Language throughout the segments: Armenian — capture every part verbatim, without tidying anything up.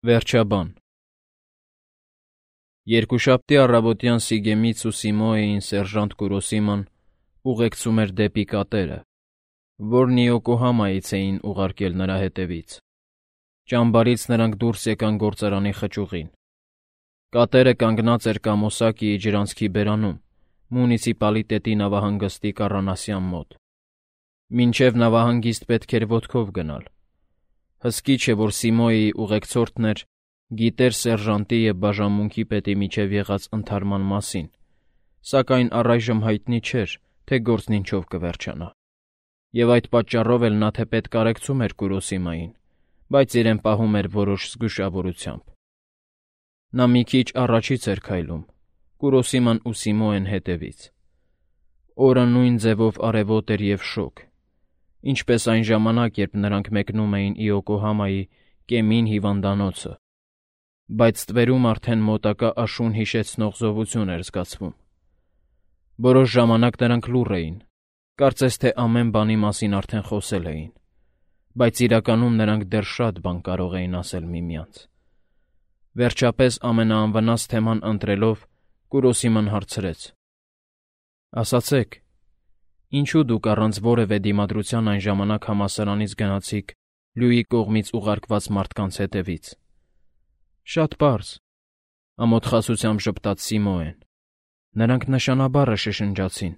Վերջաբան Երկուշաբթի առավոտյան Սիգեմից ու Սիմոեին սերժանտ Կուրոսիման ուղեկցում էր դեպի կատերը, որն Իոկոհամայից էին ուղարկել նրա հետևից։ Ճամբարից նրանք դուրս եկան գործարանի խճուղին։ Կատերը կանգնած էր Կամոսակիի ջրանցքի բերանում, մունիցիպալիտետի նավահանգստի կառանասյան մոտ։ Մինչև նավահանգիստ պետք էր ոտքով գնալ։ Հսկիչ է, որ Սիմոեի ուղեկցորդն էր, գիտեր սերժանտի և բաժանմունքի պետի միջև եղած ընդհարման մասին, սակայն առայժմ հայտնի չէր, թե գործն ինչով կվերջանա։ Եվ այդ պատճառով էլ նա թեպետ կարեկցում էր Կուրոսիմային, բայց իրեն պահում էր որոշ զգուշավորությամբ։ Նա մի քիչ առաջից էր քայլում, Կուրոսիման ու Սիմոեն հետևից։ Օրը նույն ձևով արևոտ էր և շոգ, ինչպես այն ժամանակ, երբ նրանք մեկնում էին Իոկոհամայի Կեմին հիվանդանոցը, բայց ստվերում արդեն մոտակա աշուն հիշեցնող զովություն էր զգացվում։ Որոշ ժամանակ նրանք լուռ էին, կարծես թե ամեն բանի մասին արդեն խոսել էին, բայց իրականում նրանք դեռ շատ բան կարող էին ասել միմյանց։ Վերջապես ամենաանվնաս թեման ընտրելով Կուրոսիման հարցրեց. «Ասացեք, ինչու դուք առանց որևէ դիմադրության այն ժամանակ համալսարանից գնացիք Լյուի կողմից ուղարկված մարդկանց հետևից»։ «Շատ պարզ», ամոթխացությամբ ժպտաց Սիմոեն։ «Նրանք նշանաբառը շշնջացին,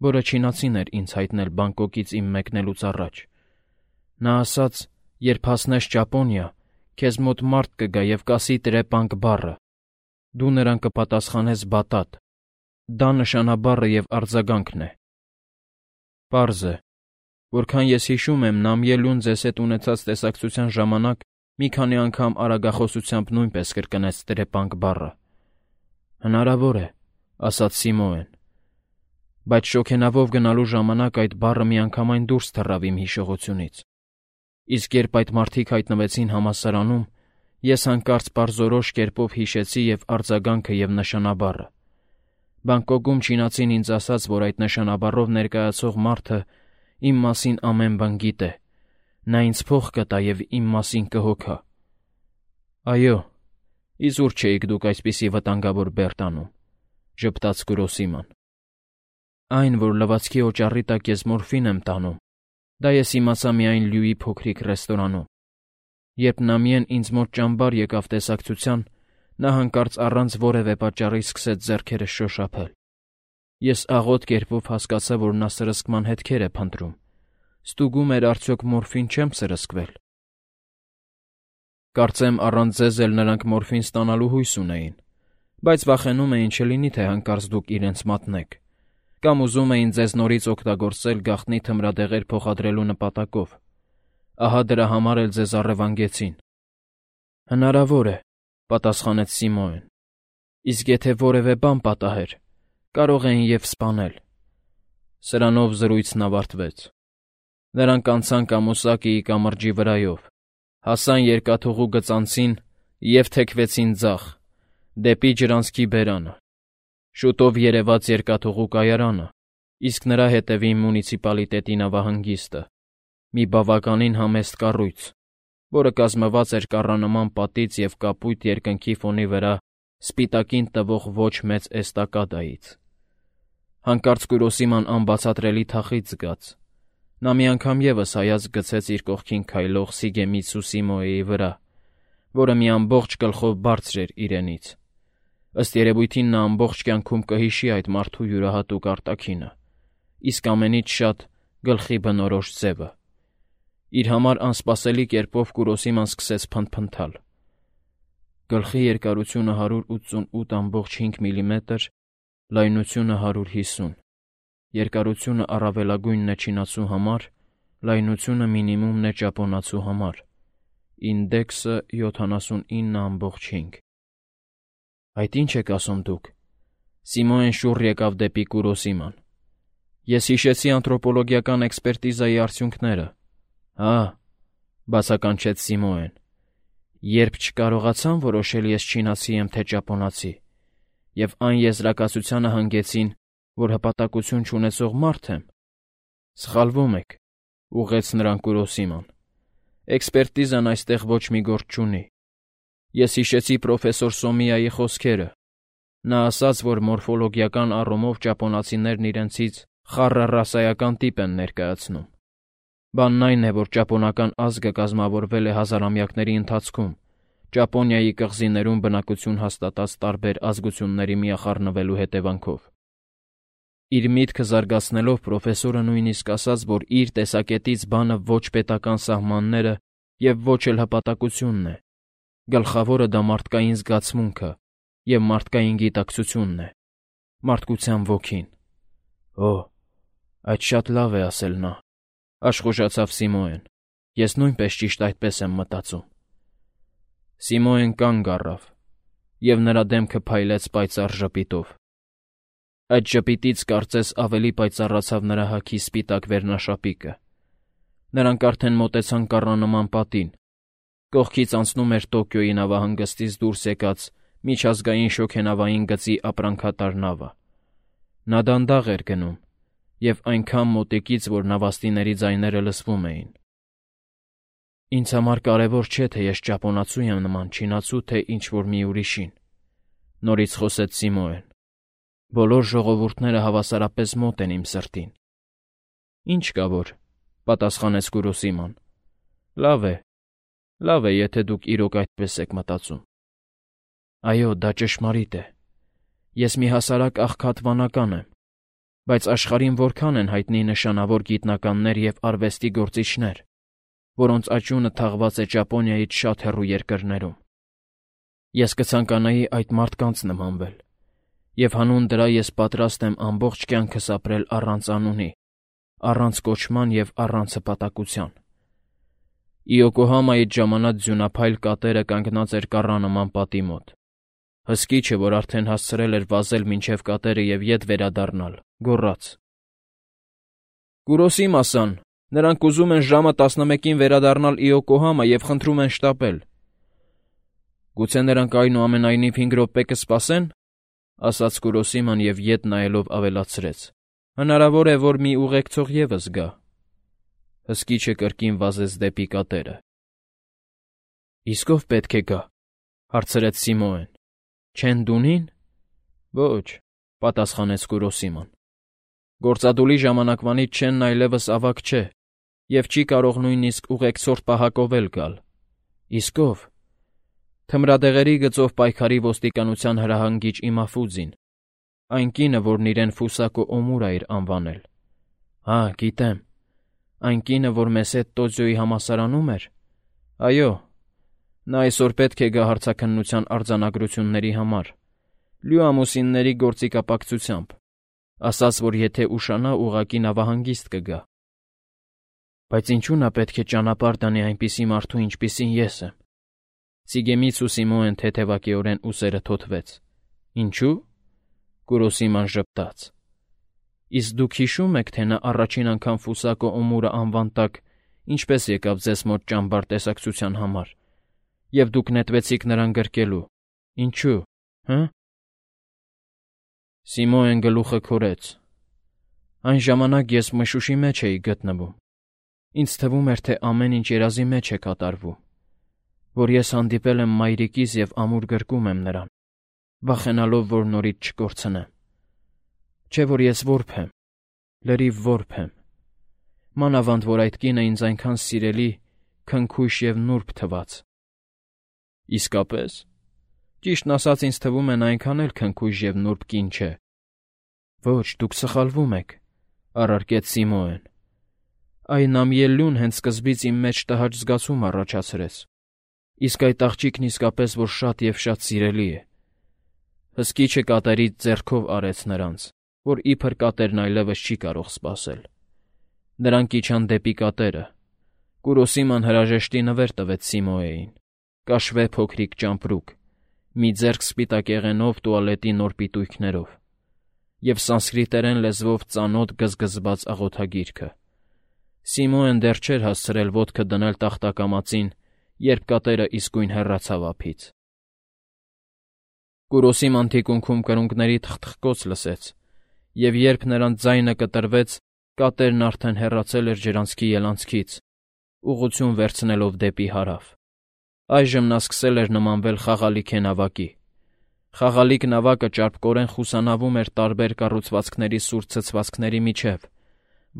որը չինացին էր ինձ հայտնել Բանգկոկից իմ մեկնելուց առաջ։ Նա ասաց, երբ հասնես Ճապոնիա, քեզ մոտ մարդ կգա և կասի տրեպանկ բառը։ Դու նրան կպատասխանես բատատ։ Դա նշանաբառը և արձագանքն է»։ «Պարզ է. որքան ես հիշում եմ, Նամիելուն ձեզ հետ ունեցած տեսակցության ժամանակ մի քանի անգամ արագախոսությամբ նույնպես կրկնեց տրեպանկ բառը»։ «Հնարավոր է», ասաց Սիմոեն, «բայց շոգենավով գնալու ժամանակ այդ բառը միանգամայն դուրս թռավ իմ հիշողությունից։ Իսկ երբ այդ մարդիկ հայտնվեցին համալսարանում, ես հանկարծ պարզորոշ կերպով հիշեցի և արձագանքը, և նշանաբառը։ Բանգկոկում չինացին ինձ ասաց, որ այդ նշանաբառով ներկայացող մարդը իմ մասին ամեն բան գիտե։ Նա ինձ փող կտա և իմ մասին կհոգա»։ «Այո, իզուր չէիք դուք այսպիսի վտանգավոր բեռ տանում», ժպտաց Կուրոսիման։ «Այն, որ լվացքի օճառի տակ ես մորֆին եմ տանում, դա ես իմացա միայն Լյուի փոքրիկ ռեստորանում։ Երբ Նամիեն ինձ մոտ ճամբար եկավ տեսակցության, նա հանկարծ առանց որևէ պատճառի սկսեց ձեռքերս շոշափել։ Ես աղոտ կերպով հասկացա, որ նա սրսկման հետքեր է փնտրում։ Ստուգում էր արդյոք մորֆին չեմ սրսկվել։ Կարծեմ առանց ձեզ էլ նրանք մորֆին ստանալու հույս ունեին, բայց վախենում էին չլինի, թե հանկարծ դուք իրենց մատնեք, կամ ուզում էին ձեզ նորից օգտագործել գաղտնի թմրադեղեր փոխադրելու նպատակով։ Ահա դրա համար էլ ձեզ առևանգեցին»։ «Հնարավոր է», պատասխանեց Սիմոեն։ «Իսկ եթե որևէ բան պատահեր, կարող էին և սպանել»։ Սրանով զրույցն ավարտվեց։ Նրանք անցան Կամոսակիի կամրջի վրայով, հասան երկաթուղու գծանցին և թեքվեցին ձախ, դեպի ջրանցքի բերանը։ Շուտով երևաց երկաթուղու կայարանը, իսկ նրա հետևին մունիցիպալիտետի նավահանգիստը, մի բավականին համեստ կառույց, որը կազմված էր կառանման պատից և կապույտ երկնքի ֆոնի վրա սպիտակին տվող ոչ մեծ էստակադայից։ Հանկարծ Կուրոսիման անբացատրելի թախիծ զգաց։ Նա մի անգամ ևս հայացք գցեց իր կողքին քայլող Սիգեմիցու Սիմոեի վրա, որը մի ամբողջ գլխով բարձր էր իրենից։ Ըստ երևույթին նա ամբողջ կյանքում կհիշի այդ մարդու յուրահատուկ արտաքինը, իսկ ամենից շատ գլխի բնորոշ ձևը։ Իր համար անսպասելի կերպով Կուրոսիման սկսեց փնթփնթալ։ «Գլխի երկարությունը հարյուր ութսունութ ամբողջ հինգ միլիմետր, լայնությունը հարյուր հիսուն, երկարությունը առավելագույնն է չինացու համար, լայնությունը մինիմումն է ճապոնացու համար, ինդեքսը յոթանասունինը ամբողջ հինգ»։ «Այդ ի՞նչ եք ասում դուք»։ Սիմոեն շուռ եկավ դեպի Կուրոսիման։ «Ես հիշեցի անթրոպոլոգիական էքսպերտիզայի արդյունքները»։ «Հա», բացականչեց Սիմոեն։ «Երբ չկարողացան որոշել ես չինացի եմ, թե ճապոնացի, և այն եզրակացությանը հանգեցին, որ հպատակություն չունեցող մարդ եմ»։ «Սխալվում եք», ուղղեց նրան Կուրոսիման։ «Էքսպերտիզան այստեղ ոչ մի գործ չունի։ Ես հիշեցի պրոֆեսոր Սոմիայի խոսքերը։ Նա ասաց, որ մորֆոլոգիական առումով ճապոնացիներն իրենցից խառը ռասայական տիպ են ներկայացնում։ Բանն այն է, որ ճապոնական ազգը կազմավորվել է հազարամյակների ընթացքում, Ճապոնիայի կղզիներում բնակություն հաստատած տարբեր ազգությունների միախառնվելու հետևանքով։ Իր միտքը զարգացնելով պրոֆեսորը նույնիսկ ասաց, որ իր տեսակետից բանը ոչ պետական սահմանները և ոչ էլ հպատակությունն է, գլխավորը դա մարդկային զգացմունքը և մարդկային գիտակցությունն է, մարդկության ոգին։ Օ, այդ շատ լավ է ասել նա, աշխուժացավ Սիմոեն, ես նույնպես ճիշտ այդպես եմ մտածում։ Սիմոեն կանգ առավ, և նրա դեմքը փայլեց պայծառ ժպիտով։ Այդ ժպիտից կարծես ավելի պայծառացավ նրա հագի սպիտակ վերնաշապիկը։ Նրանք արդեն մոտեցան կառանման պատին։ Կողքից անցնում էր Տոկիոյի նավահանգստից դուրս եկած միջազգային շոգենավային գծի ապրանքատար նավը։ Նա դանդաղ էր գնում, և այնքան մոտիկից, որ նավաստիների ձայները լսվում էին։ Ինձ համար կարևոր չէ, թե ես ճապոնացու եմ նման, չինացու, թե ինչ-որ մի ուրիշին, նորից խոսեց Սիմոեն։ Բոլոր ժողովուրդները հավասարապես մոտ են իմ սրտին։ Ինչ կա որ, պատասխանեց Կուրոսիման։ Լավ է, լավ է, եթե դուք իրոք այդպես եք մտածում։ Այո, դա ճշմարիտ է։ Ես մի հասարակ աղքատ վանական եմ, բայց աշխարհին որքան են հայտնի նշանավոր գիտնականներ և արվեստի գործիչներ, որոնց աճյունը թաղված է Ճապոնիայից շատ հեռու երկրներում։ Ես կցանկանայի այդ մարդկանց նմանվել, և հանուն դրա ես պատրաստ եմ ամբողջ կյանքս ապրել առանց անունի, առանց կոչման և առանց հպատակության։ Իոկոհամայից ժամանած ձյունափայլ կատերը կանգնած էր կառանման պատի մոտ։ Հսկիչը, որ արդեն հասցրել էր վազել մինչև կատերը և ետ վերադառնալ, գոռաց. Կուրոսիմա-սան, նրանք ուզում են ժամը տասնմեկին վերադառնալ Իոկոհամա և խնդրում են շտապել։ Գուցե նրանք այնուամենայնիվ հինգ րոպե կսպասեն, ասաց Կուրոսիման և ետ նայելով ավելացրեց. Հնարավոր է, որ մի ուղեկցող ևս գա։ Հսկիչը կրկին վազեց դեպի կատերը։ Իսկ ով պետք է գա, հարցրեց Սիմոեն։ Չեն-Դունի՞ն։ Ոչ, պատասխանեց Կուրոսիման։ Գործադուլի ժամանակվանից Չենն այլևս ավագ չէ և չի կարող նույնիսկ ուղեկցորդ պահակով էլ գալ։ Իսկ ով։ Թմրադեղերի գծով պայքարի ոստիկանության հրահանգիչ Իմաֆուձին, այն կինը, որն իրեն Ֆուսակո Օմուրա էր անվանել։ Հա, գիտեմ։ Այն կինը, որ մեզ հետ Տոձյոյի համալսարանում էր։ Այո, նա այսօր պետք է գա հարցաքննության արձանագրությունների համար, լյու ամուսինների գործիքապակցությամբ, ասաց, որ եթե ուշանա, ուղղակի նավահանգիստ կգա։ Բայց ինչու նա պետք է ճանապարհ դանի այնպիսի մարդու, ինչպիսին ես եմ։ Սիգեմիցու Սիմոեն թեթևակիորեն ուսերը թոթվեց։ Ինչու՞։ Կուրոսիման ժպտաց։ Իսկ դուք հիշո՞ւմ եք, թե նա առաջին անգամ Ֆուսակո Օմուրա անվան տակ ինչպես եկավ ձեզ մոտ ճամբար տեսակցության համար, և դուք նետվեցիք նրան գրկելու։ Ինչու՞, հը։ Սիմոեն գլուխը քորեց։ Այն ժամանակ ես մշուշի մեջ էի գտնվում։ Ինձ թվում էր, թե ամեն ինչ երազի մեջ է կատարվում, որ ես հանդիպել եմ մայրիկիս և ամուր գրկում եմ նրան, վախենալով, որ նորից չկորցնեմ։ Չէ՞ որ ես որբ եմ, լրիվ որբ եմ։ Մանավանդ, որ այդ կինը ինձ այնքան սիրելի, քնքուշ և նուրբ թվաց։ Իսկապես։ Ճիշտն ասած, ինձ թվում է նա այնքան էլ քնքուշ և նուրբ կին չէ։ Ոչ, դուք սխալվում եք, առարկեց Սիմոեն։ Այն ամյելլյուն հենց սկզբից իմ մեջ տհաճ զգացում առաջացրեց։ Իսկ այդ աղջիկն իսկապես որ շատ և շատ սիրելի է։ Հսկիչը կատերից ձեռքով արեց նրանց, որ իբր կատերն այլևս չի կարող սպասել։ Նրանք իջան դեպի կատերը։ Կուրոսիման հրաժեշտի նվեր տվեց Սիմոեին, կաշվե փոքրիկ ճամպրուկ, մի ձեռք սպիտակեղենով տուալետի նոր պիտույքներով և սանսկրիտերեն լեզվով ծանոթ գզգզված աղոթագիրքը։ Սիմոեն դեռ չէր հասցրել ոտքը դնել տախտակամածին, երբ կատերը իսկույն հեռացավ ափից։ Կուրոսիման թիկունքում կրունկների թխթխկոց լսեց, և երբ նրանց ձայնը կտրվեց, կատերն արդեն հեռացել էր ջրանցքի ելանցքից, ուղղություն վերցնելով դեպի հարավ։ Այժմ նա սկսել էր նմանվել խաղալիք նավակի։ Խաղալիք նավակը ճարպկորեն խուսանավում էր տարբեր կառուցվածքների սուր ցցվածքների միջև,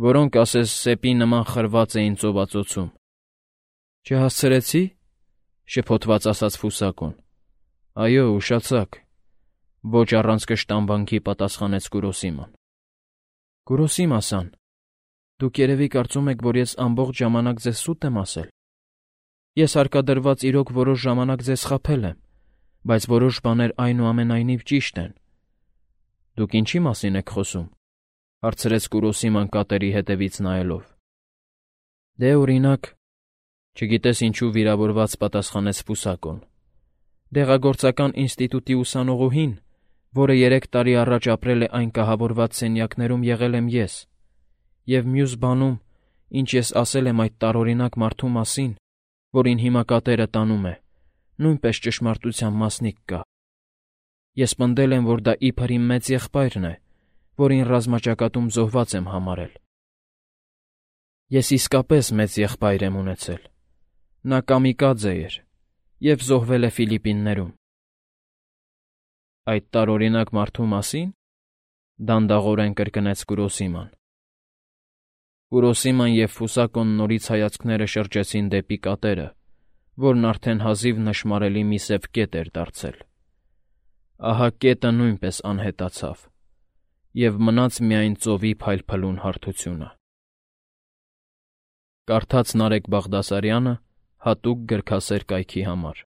որոնք ասես սեպի նման խրված էին ծովածոցում։ «Չհասցրեցի՞, շփոթված ասաց ֆուսակոն։ «Այո, ուշացաք», ոչ առանց կշտամբանքի պատասխանեց Կուրոսիման։ «Կուրոսիմա-սան, դուք երևի կարծում եք, որ ես ամբողջ ժամանակ ձեզ սուտ եմ ասել։ Ես հարկադրված իրոք որոշ ժամանակ ձեզ խաբել եմ, բայց որոշ բաներ այնուամենայնիվ ճիշտ են»։ «Դուք ինչի՞ մասին եք խոսում», հարցրեց Կուրոսիման կատերի հետևից նայելով։ «Դե, օրինակ, չգիտես ինչու վիրավորված պատասխանեց ֆուսակոն։ Դեղագործական ինստիտուտի ուսանողուհին, որը երեք տարի առաջ ապրել է այն կահավորված սենյակներում, եղել եմ ես, և մյուս բանում, ինչ ես ասել եմ այդ տարօրինակ մարդու մասին, որին հիմա կատերը տանում է, նույնպես ճշմարտության մասնիկ կա։ Ես պնդել եմ, որ դա իբր իմ մեծ եղբայրն է, որին ռազմաճակատում զոհված եմ համարել։ Ես իսկապես մեծ եղբայր եմ ունեցել։ Նա կամիկաձե էր և զոհվել է Ֆիլիպիններում»։ «Այդ տարօրինակ մարդու մասի՞ն», դանդաղորեն կրկնեց Կուրոսիման։ Կուրոսիման և ֆուսակոն նորից հայացքները շրջեցին դեպի կատերը, որն արդեն հազիվ նշմարելի մի սև կետ էր դարձել։ Ահա կետը նույնպես անհետացավ, և մնաց միայն ծովի փայլփլուն հարթությունը։ Կարդաց Նարեկ Բաղդասարյանը հատուկ գրքասեր կայքի համար։